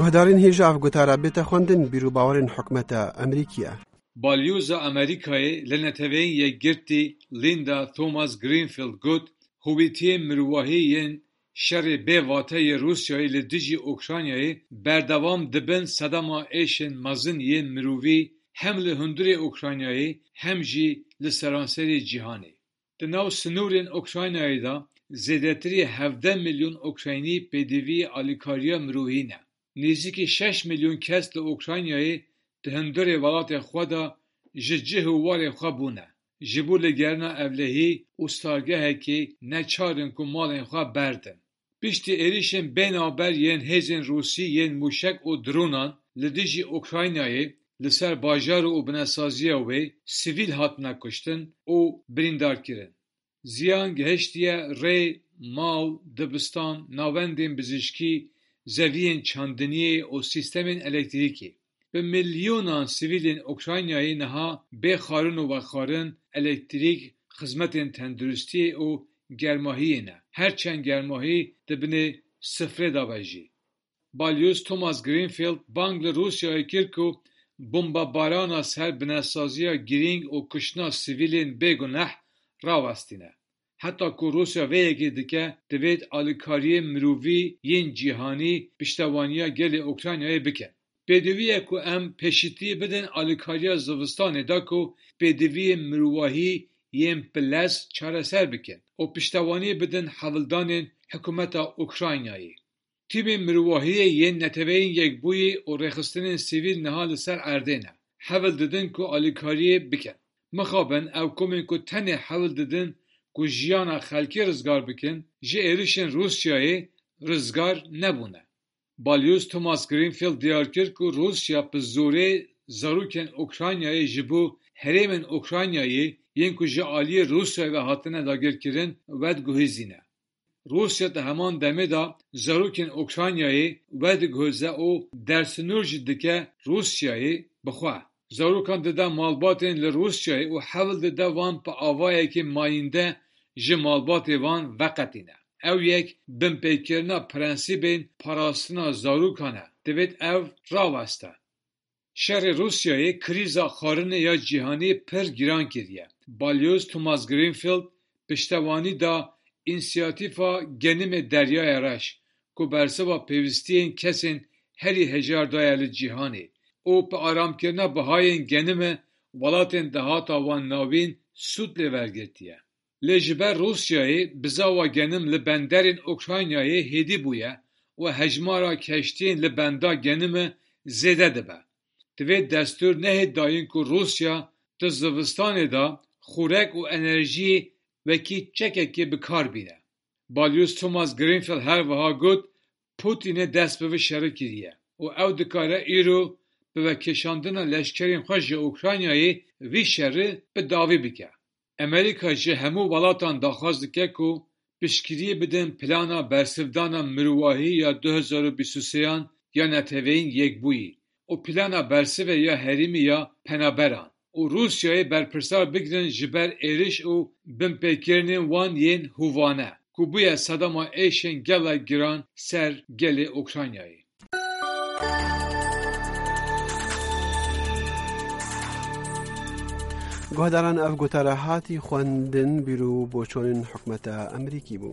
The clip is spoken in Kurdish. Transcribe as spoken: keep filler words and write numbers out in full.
Guhdarên hêja ev gotara bête xwendin bîr û bawerên hikûmeta Amerîkî ye. Balyoza Amerîkayê li Neteweyên Yekgirtî Linda Thomas Greenfield got, hûvîtiyên mirovahî yên şerê bê vate yê Rûsyayê li dijî Ukraynayê berdewam dibin sedema êşên mezin yên mirovî hem li hundirê Ukraynayê hem jî li seranserê cîhanê. Di nav sinûrên Ukraynayê de zêdetirî hevdeh milyon Ukraynî pêdivî alîkariya mirovî ne. Nêzîkî şeş milyon kes li Ukraynayê di hundirê welatê xwe de ji cih û warê xwe bûne. Ji bo ligerina ewlehî û stargehekê neçar in ku malên xwe berdin. Piştî êrişên bênavber yên hêzên Rûsî yên mûşek û dronan li dijî Ukraynayê, li ser bajar û binesaziya wê sivîl hatine kuştin û birîndarkirin. Ziyan gihiştiye rê, mal, dibistan, navendên bizişkî, zeviyên çandiniyê û sîstemên elektrîkê. Bi milyonan sivîlên Ukraynayê niha bê xwarin û vexwarin, elektrîk, xizmetên tenduristiyê û germahiyê ne. Her çend germahî di binê sifrê de be jî. Balyoz Thomas Greenfield bang li Rûsyayê kir ku bombebarana ser binesaziya girîng û kuştina sivîlên bêguneh rawestîne. Heta ku Rûsya vê yekê dike, divêt alîkariyên mirovî yên cîhanî piştevaniya gelê Ukraynayê bikin. Pêdivî ye ku em pêşîtiyê bidin alîkariya zivistanê de ku pêdiviyên mirovahî yên pilez çareser bikin û piştevaniyê bidin hewldanên hikûmeta Ukraynayê. Tîmên mirovahiyê yên Neteweyên Yekbûyî û rêxistinên sivîl niha li ser erdê ne. Hewl didin ku alîkariyê bikin. Mixabin ew komên ku tenê hewl didin ku jiyana xelkê rizgar bikin, ji êrişên Rûsyayê rizgar nebûne. Balyoz Thomas Greenfield diyar kir ku Rûsya bi zorê zarokên Ukraynayê ji bo herêmên Ukraynayê yên ku ji aliyê Rûsyayê ve hatine dagirkirin vediguhêzîne. Rûsya di heman demê de zarokên Ukraynayê vediguhêze û dersinûr jî dike Rûsyayê bi xwe. Zarokan dide malbatên li Rûsyayê û hewl dide wan bi avayekî mayînde ji malbatê van veqetîne. Ew yek binpêkirina prensîbên parastina zarokan e. Divêt ev raweste. Şerê Rûsyayê krîza xwarinê ya cîhanî pir giran kiriye. Balyoz Thomas Greenfield piştewanî da însiyatîfa genimê Deryaya Reş, ku bersiva pêwîstiyên kesên herî hejar daye li cîhanê û bi aramkirina bihayên genime welatên dahata wan navîn sûd lê wergirtiye. Lê ji ber Rûsyayê bizava genim li benderên Ukraynayê hêdî bûye û hejmara keştiyên li benda genime zêde dibe. Divê destûr nehê dayîn ku Rûsya di zivistanê de xurek û enerjiyê wekî çekekê bi kar bîne. Balyoz Thomas Greenfield her wiha got, Putinê dest bi vî şerî kiriye û ew dikare îro bi vekêşandina leşkerên xwe ji Ukraynayê vî şerî bi dawî bike. Amerîka ji hemû welatan daxwaz dike ku piştgiriyê bidin plana bersivdana mirovahî ya du hezar û bîst û sêyan ya Neteweyên Yekbûyî û plana bersivê ya herêmî ya penaberan û Rûsyayê berpirsar bigirin ji ber êriş û binpêkirinên wan yên hovane ku bûye sedema êşên gelek giran ser gelê Ukraynayê. Guhdaran, ev gotara hatî xwendin bîr û boçonên hikûmeta Amerîkî bû.